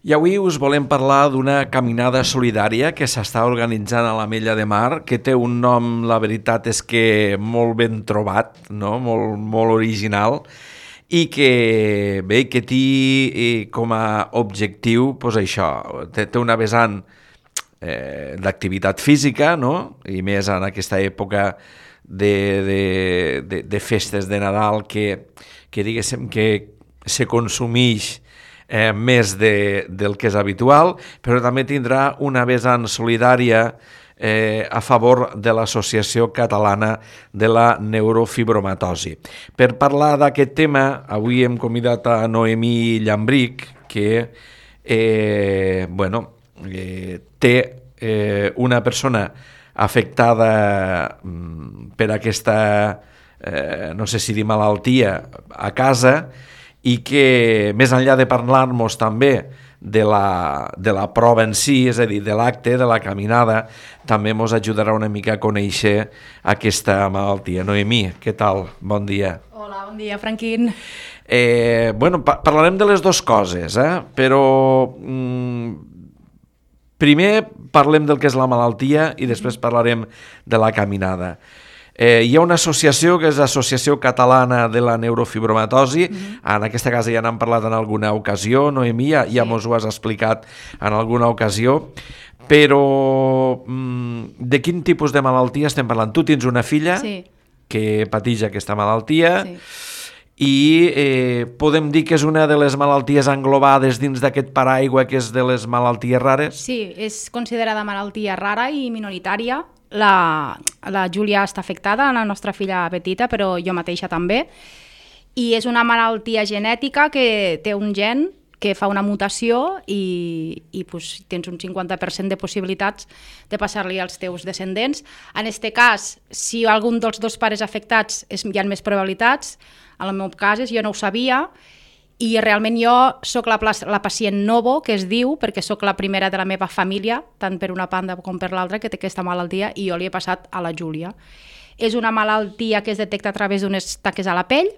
I avui us volem parlar d'una caminada solidària que s'està organitzant a l'Ametlla de Mar, que té un nom, la veritat és que molt ben trobat, no? Molt original, i que bé, que té com a objectiu doncs això, té una vessant d'activitat física, no? I més en aquesta època de festes de Nadal que diguéssim que se consumeix més del que és habitual, però també tindrà una vessant solidària a favor de l'Associació Catalana de la Neurofibromatosi. Per parlar d'aquest tema, avui hem convidat a Noemí Llambrich, que té una persona afectada per aquesta, no sé si dir malaltia, a casa, i que més enllà de parlar-nos també de la prova en si, és a dir, de l'acte, de la caminada, també ens ajudarà una mica a conèixer aquesta malaltia. Noemí, què tal? Bon dia. Hola, bon dia, Franquín. Parlarem de les dues coses, però primer parlem del que és la malaltia i després parlarem de la caminada. Hi ha una associació que és l'Associació Catalana de la Neurofibromatosi. En aquesta casa ja n'hem parlat en alguna ocasió, Noemí, ja mos ho has explicat en alguna ocasió, però de quin tipus de malaltia estem parlant? Tu tens una filla que pateix aquesta malaltia i podem dir que és una de les malalties englobades dins d'aquest paraigua que és de les malalties rares? Sí, és considerada malaltia rara i minoritària. La Júlia està afectada, la nostra filla petita, però jo mateixa també. I és una malaltia genètica que té un gen que fa una mutació i tens un 50% de possibilitats de passar-li als teus descendents. En aquest cas, si algun dels dos pares afectats hi ha més probabilitats, en el meu cas jo no ho sabia, i realment jo sóc la pacient novo, que es diu, perquè sóc la primera de la meva família, tant per una banda com per l'altra, que té aquesta malaltia, i jo li he passat a la Júlia. És una malaltia que es detecta a través d'unes taques a la pell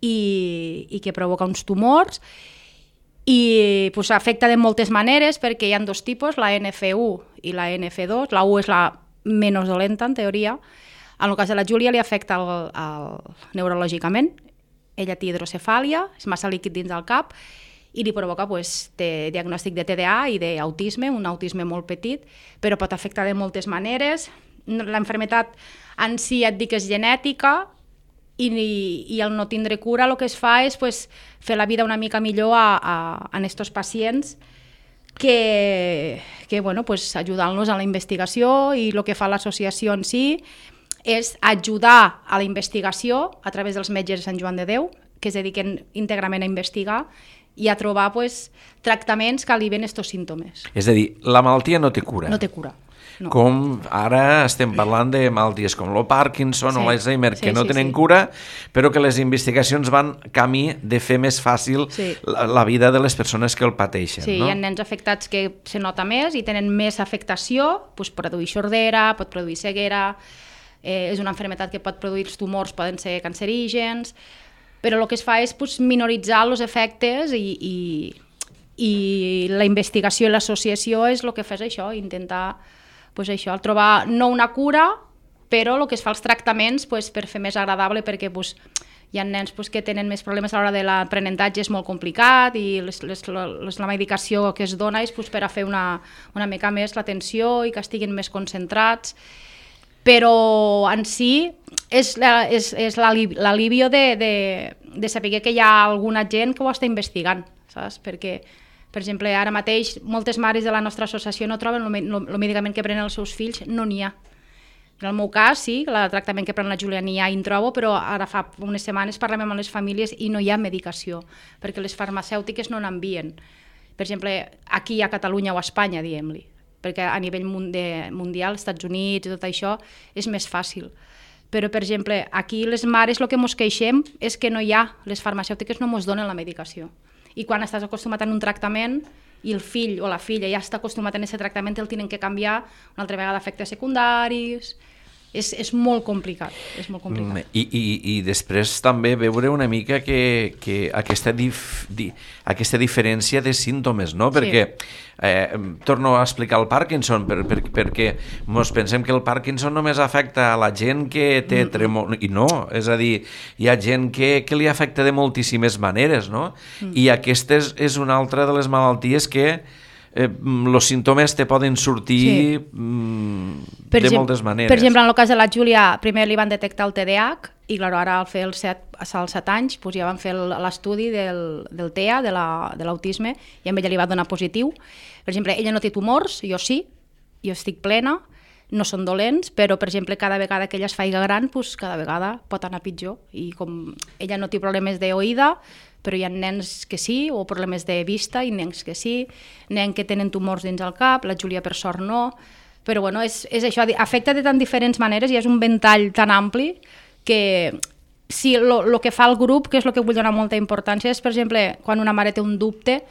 i que provoca uns tumors i afecta de moltes maneres perquè hi ha dos tipus, la NF1 i la NF2. La U és la menys dolenta, en teoria. En el cas de la Júlia li afecta neurològicament. Ella té hidrocefàlia, és massa líquid dins del cap i li provoca té diagnòstic de TDA i d'autisme, un autisme molt petit, però pot afectar de moltes maneres. L'enfermetat en si et dic que és genètica i al no tindre cura el que es fa és fer la vida una mica millor a aquests pacients que ajudant-los a la investigació, i el que fa l'associació en si és ajudar a la investigació a través dels metges de Sant Joan de Déu, que es dediquen íntegrament a investigar i a trobar tractaments que alivien aquests símptomes. És a dir, la malaltia no té cura. No té cura. No. Com ara estem parlant de malalties com el Parkinson o l'Alzheimer, que no tenen cura, però que les investigacions van camí de fer més fàcil la vida de les persones que el pateixen. Sí, hi ha nens afectats que se nota més i tenen més afectació, produir sordera, pot produir ceguera. És una malaltia que pot produir els tumors, poden ser cancerígens, però el que es fa és minoritzar els efectes i la investigació i l'associació és el que fa això, intentar trobar no una cura, però el que es fa els tractaments per fer més agradable, perquè hi ha nens que tenen més problemes a l'hora de l'aprenentatge, és molt complicat, i la medicació que es dona és per a fer una mica més l'atenció i que estiguin més concentrats. Però en si és l'alivio de saber que hi ha alguna gent que ho està investigant, saps? Perquè, per exemple, ara mateix moltes mares de la nostra associació no troben el medicament que prenen els seus fills, no n'hi ha. En el meu cas, sí, el tractament que pren la Júlia n'hi ha i en trobo, però ara fa unes setmanes parlem amb les famílies i no hi ha medicació, perquè les farmacèutiques no n'envien. Per exemple, aquí a Catalunya o a Espanya, diguem-li, perquè a nivell mundial, als Estats Units i tot això, és més fàcil. Però, per exemple, aquí les mares el que ens queixem és que no hi ha, les farmacèutiques no ens donen la medicació. I quan estàs acostumat a un tractament i el fill o la filla ja està acostumat a aquest tractament, el tenen que canviar una altra vegada a efectes secundaris. És molt complicat, és molt complicat. I després també veure una mica que aquesta diferència de símptomes, no? Perquè torno a explicar el Parkinson, perquè ens pensem que el Parkinson només afecta a la gent que té tremor, i no, és a dir, hi ha gent que li afecta de moltíssimes maneres, no? I aquesta és una altra de les malalties que els símptomes te poden sortir de moltes maneres. Per exemple, en el cas de la Júlia, primer li van detectar el TDAH i clar, ara al fer als 7 anys ja van fer l'estudi del TEA, de l'autisme, i a ella li va donar positiu. Per exemple, ella no té tumors, jo sí, jo estic plena, no són dolents, però, per exemple, cada vegada que ella es faiga gran, cada vegada pot anar pitjor. I com ella no té problemes d'oïda, però hi ha nens que sí, o problemes de vista, i nens que sí, nens que tenen tumors dins el cap, la Júlia per sort no, però bueno, és això, afecta de tan diferents maneres i és un ventall tan ampli que sí, el que fa el grup, que és el que vull donar molta importància, és, per exemple, quan una mare té un dubte,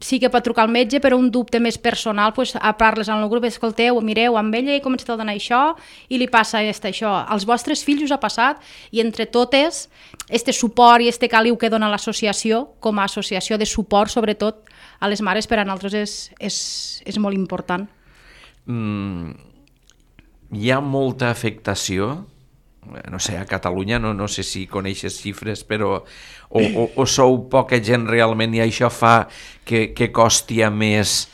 sí que pot trucar al metge, però un dubte més personal, doncs, a parles en el grup, escolteu, mireu amb ella i comenceu a donar això, i li passa això. Als vostres fills us ha passat, i entre totes, este suport i este caliu que dona l'associació, com a associació de suport, sobretot, a les mares, per a nosaltres és molt important. Hi ha molta afectació, no sé, a Catalunya, no sé si coneixes xifres, però o sou poca gent realment i això fa que costi a més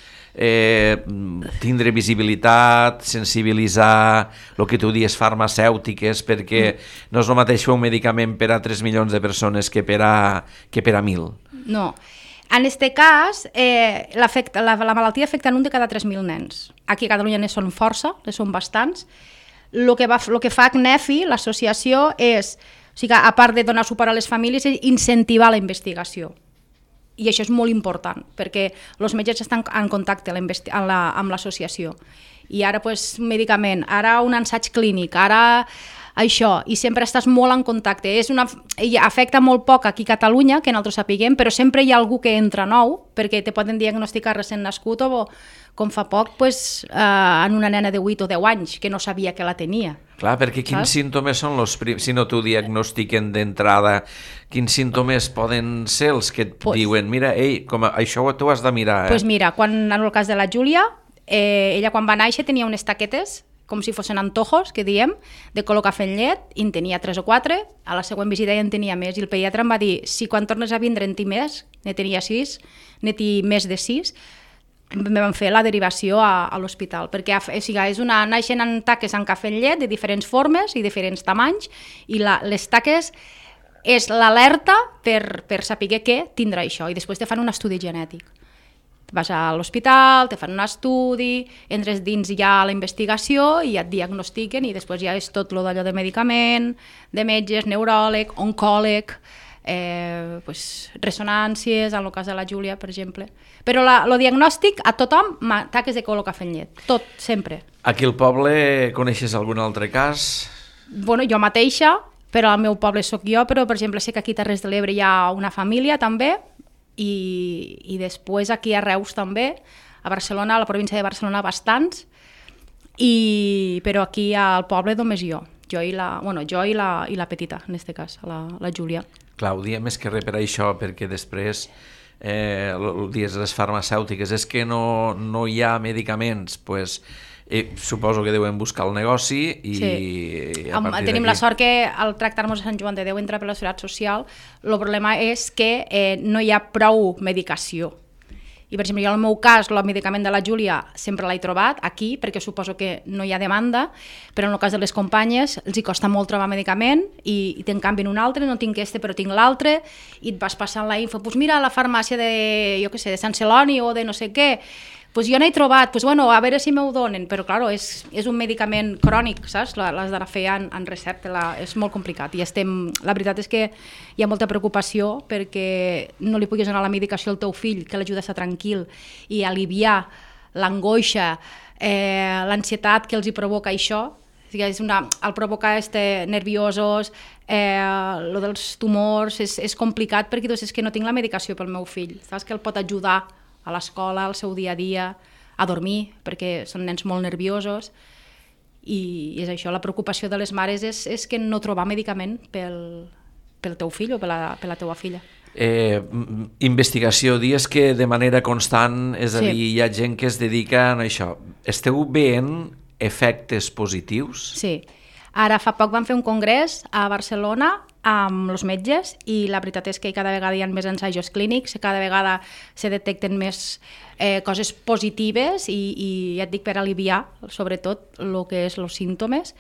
tindre visibilitat, sensibilitzar, el que tu dius farmacèutiques, perquè no és el mateix fer un medicament per a 3 milions de persones que per a 1.000. No. En aquest cas, la malaltia afecta un de cada 3.000 nens. Aquí a Catalunya ne són força, ne són bastants. El que fa CNEFI, l'associació, és, o sigui, a part de donar suport a les famílies, és incentivar la investigació. I això és molt important, perquè els metges estan en contacte amb l'associació. I ara, medicament, ara un ensaig clínic, ara això, i sempre estàs molt en contacte. Afecta molt poc aquí a Catalunya, que nosaltres sapiguem, però sempre hi ha algú que entra nou, perquè te poden diagnosticar recent nascut o, com fa poc, en una nena de 8 o 10 anys, que no sabia que la tenia. Clar, perquè quins símptomes són si no t'ho diagnostiquen d'entrada, quins símptomes poden ser els que et diuen, mira, això t'ho has de mirar. Doncs mira, en el cas de la Júlia, ella quan va néixer tenia unes taquetes, com si fossin antojos, que diem, de color cafè amb llet, i en tenia 3 o 4, a la següent visita ja en tenia més, i el pediatre em va dir, si quan tornes a vindre en té més, ne tenia 6, ne té més de 6, me van fer la derivació a l'hospital, perquè naixen en taques en cafè amb llet de diferents formes i diferents tamanys, i les taques és l'alerta per saber què tindrà això, i després te fan un estudi genètic. Vas a l'hospital, te fan un estudi, entres dins ja a la investigació i et diagnostiquen, i després ja és tot d'allò de medicament, de metges, neuròleg, oncòleg, ressonàncies, en el cas de la Júlia, per exemple. Però el diagnòstic a tothom, taques de color cafè amb llet, tot, sempre. Aquí al poble coneixes algun altre cas? Bueno, jo mateixa, però al meu poble sóc jo, però per exemple sé que aquí a Terres de l'Ebre hi ha una família també, i després aquí a Reus també, a Barcelona, a la província de Barcelona bastants, però aquí al poble només jo i la petita, en aquest cas, la Júlia. Clar, ho diem més que res per això, perquè després dies les farmacèutiques és que no hi ha medicaments, doncs suposo que deuen buscar el negoci i tenim la sort que al tractar-nos a Sant Joan de Déu entra per la Seguretat Social. El problema és que no hi ha prou medicació. I, per exemple, jo en el meu cas, el medicament de la Júlia sempre l'he trobat aquí, perquè suposo que no hi ha demanda, però en el cas de les companyes els hi costa molt trobar medicament i te'n canvien un altre, no tinc este però tinc l'altre, i et vas passant la info, doncs mira, a la farmàcia de Sant Celoni o de no sé què, doncs jo n'he trobat, doncs bueno, a veure si m'ho donen, però clar, és un medicament crònic, saps? L'has d'anar a fer en recepta, és molt complicat, i la veritat és que hi ha molta preocupació perquè no li puguis donar la medicació al teu fill, que l'ajuda a estar tranquil i aliviar l'angoixa, l'ansietat que els hi provoca això, el provocar nerviosos, lo dels tumors, és complicat perquè és que no tinc la medicació pel meu fill, saps que el pot ajudar a l'escola, al seu dia a dia, a dormir, perquè són nens molt nerviosos, I és això, la preocupació de les mares és que no trobar medicament pel teu fill o per la teua filla. Investigació, dius que de manera constant, és a dir, hi ha gent que es dedica a això. Esteu veient efectes positius? Sí. Ara fa poc vam fer un congrés a Barcelona amb els metges i la veritat és que cada vegada hi ha més ensajos clínics, cada vegada se detecten més coses positives i ja et dic per aliviar sobretot el que és els símptomes.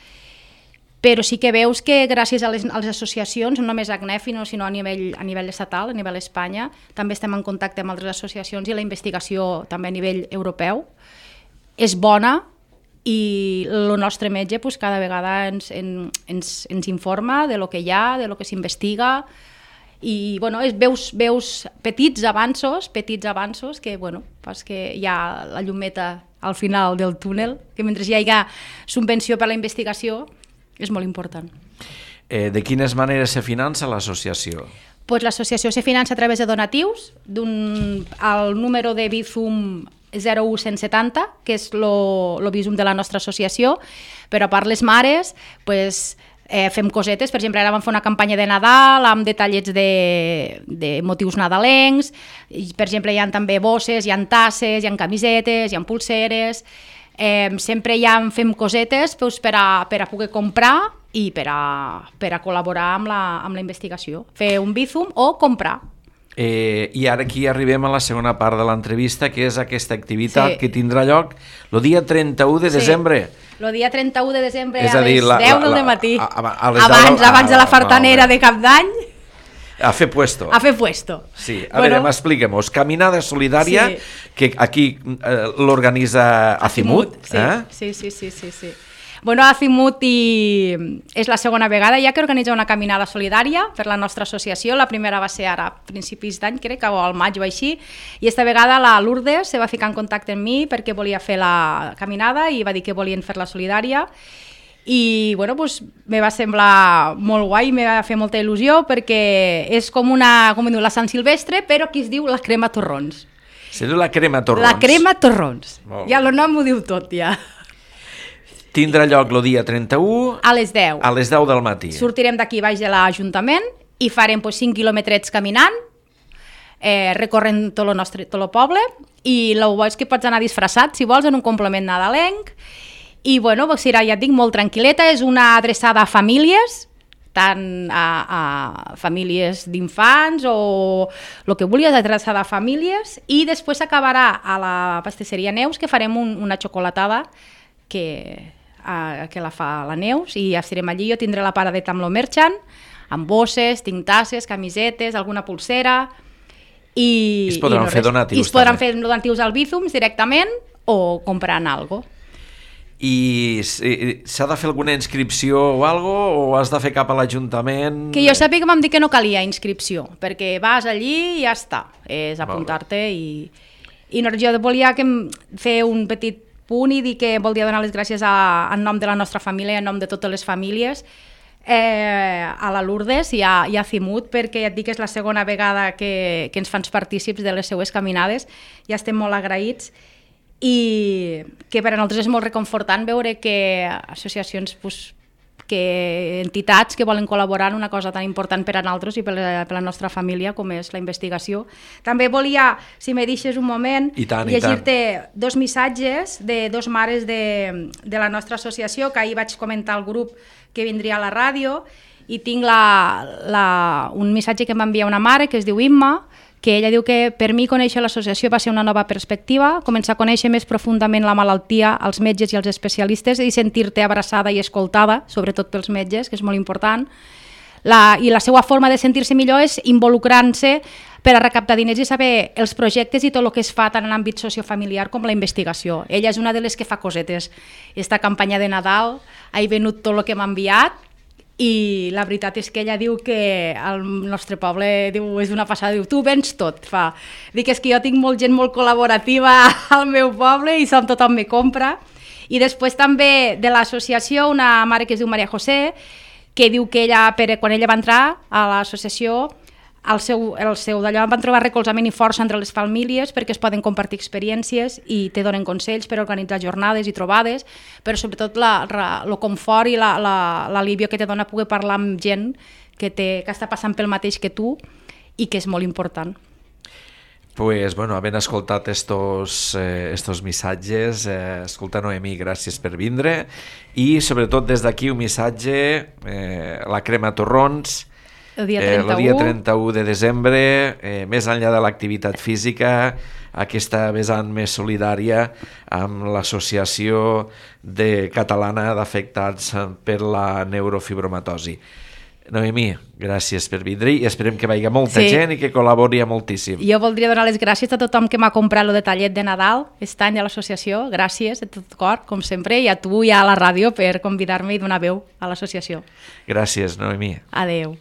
Però sí que veus que gràcies a les associacions, no només a ACNEF, sinó a nivell estatal, a nivell Espanya, també estem en contacte amb altres associacions i la investigació també a nivell europeu és bona i el nostre metge cada vegada ens informa de lo que hi ha, de lo que s'investiga i veus petits avanços que, fas que hi ha la llumeta al final del túnel, que mentre hi hagi subvenció per a la investigació és molt important. De quines maneres se finança l'associació? Pues l'associació se finança a través de donatius, al número de Bizum 01170, que és el Bizum de la nostra associació, però a part les mares fem cosetes, per exemple ara vam fer una campanya de Nadal amb detallets de motius nadalencs, per exemple hi ha també bosses, hi ha tasses, hi ha camisetes, hi ha pulseres, sempre fem cosetes per a poder comprar i per a col·laborar amb la investigació, fer un Bizum o comprar. I ara aquí arribem a la segona part de l'entrevista, que és aquesta activitat que tindrà lloc el dia 31 de desembre. El dia 31 de desembre a les 10 del matí, abans de la fartanera de Cap d'Any. A fer puesto. A fer puesto. Sí, a veure, expliquem-nos. Caminada solidària, que aquí l'organitza Azimut. Sí. Azimut és la segona vegada ja que organitza una caminada solidària per la nostra associació. La primera va ser ara, a principis d'any, crec que al maig o així, i esta vegada la Lourdes se va ficar en contacte amb mi perquè volia fer la caminada i va dir que volien fer-la solidària. I me va semblar molt guai, me va fer molta il·lusió perquè és com la Sant Silvestre, però aquí es diu la crema torrons. Se diu la crema torrons. La crema torrons. Ja el nom ho diu tot, ja. Tindrà lloc el dia 31 a les 10. A les 10 del matí. Sortirem d'aquí baix de l'Ajuntament i farem 5 quilòmetrets caminant, recorrent tot el poble, i el bo és que pots anar disfressat, si vols, en un complement nadalenc. I serà, ja et dic, molt tranquil·leta, és una adreçada a famílies, tant a famílies d'infants o el que vulguis, adreçada a famílies, i després s'acabarà a la pastisseria Neus, que farem una xocolatada que la fa la Neus, i ja estarem allí. Jo tindré la paradeta amb lo merchant, amb bosses, tinc tasses, camisetes, alguna pulsera, i es podran fer donatius. I es podran fer donatius al Bizum directament o comprant alguna cosa. I s'ha de fer alguna inscripció o algo, o has de fer cap a l'Ajuntament? Que jo sàpiga que m'han dit que no calia inscripció, perquè vas allí i ja està, és apuntar-te. I jo volia fer un petit punt i dir que volia donar les gràcies en nom de la nostra família, en nom de totes les famílies, a la Lourdes i a Azimut, perquè ja et dic que és la segona vegada que ens fan partícips de les seues caminades, ja estem molt agraïts, i que per a nosaltres és molt reconfortant veure que associacions, que entitats que volen col·laborar en una cosa tan important per a nosaltres i per a la nostra família com és la investigació. També volia, si me deixes un moment, llegir-te 2 missatges de 2 mares de la nostra associació, que ahir vaig comentar al grup que vindria a la ràdio, i tinc un missatge que em va enviar una mare que es diu Imma, que ella diu que per mi conèixer l'associació va ser una nova perspectiva, començar a conèixer més profundament la malaltia, els metges i els especialistes, i sentir-te abraçada i escoltada, sobretot pels metges, que és molt important. I la seva forma de sentir-se millor és involucrant-se per a recaptar diners i saber els projectes i tot el que es fa tant en àmbit sociofamiliar com la investigació. Ella és una de les que fa cosetes. Esta campanya de Nadal ha venut tot el que m'ha enviat, i la veritat és que ella diu que el nostre poble és una passada, diu, tu vens tot. Dic, és que jo tinc gent molt col·laborativa al meu poble i tothom me compra. I després també de l'associació, una mare que es diu Maria José, que diu que ella, quan ella va entrar a l'associació, el seu d'allò van trobar recolzament i força entre les famílies perquè es poden compartir experiències i te donen consells per organitzar jornades i trobades, però sobretot el confort i l'alivio que te dona poder parlar amb gent que està passant pel mateix que tu i que és molt important. Pues, bueno, havent escoltat estos missatges, escolta, Noemí, gràcies per vindre, i sobretot des d'aquí un missatge, la crema torrons, el dia 31 de desembre, més enllà de l'activitat física, aquesta vessant més solidària amb l'Associació Catalana d'Afectats per la Neurofibromatosi. Noemí, gràcies per vindre i esperem que vagi molta gent i que col·labori moltíssim. Jo voldria donar les gràcies a tothom que m'ha comprat el detallet de Nadal aquest any a l'associació. Gràcies de tot cor, com sempre, i a tu i a la ràdio per convidar-me i donar veu a l'associació. Gràcies, Noemí. Adeu.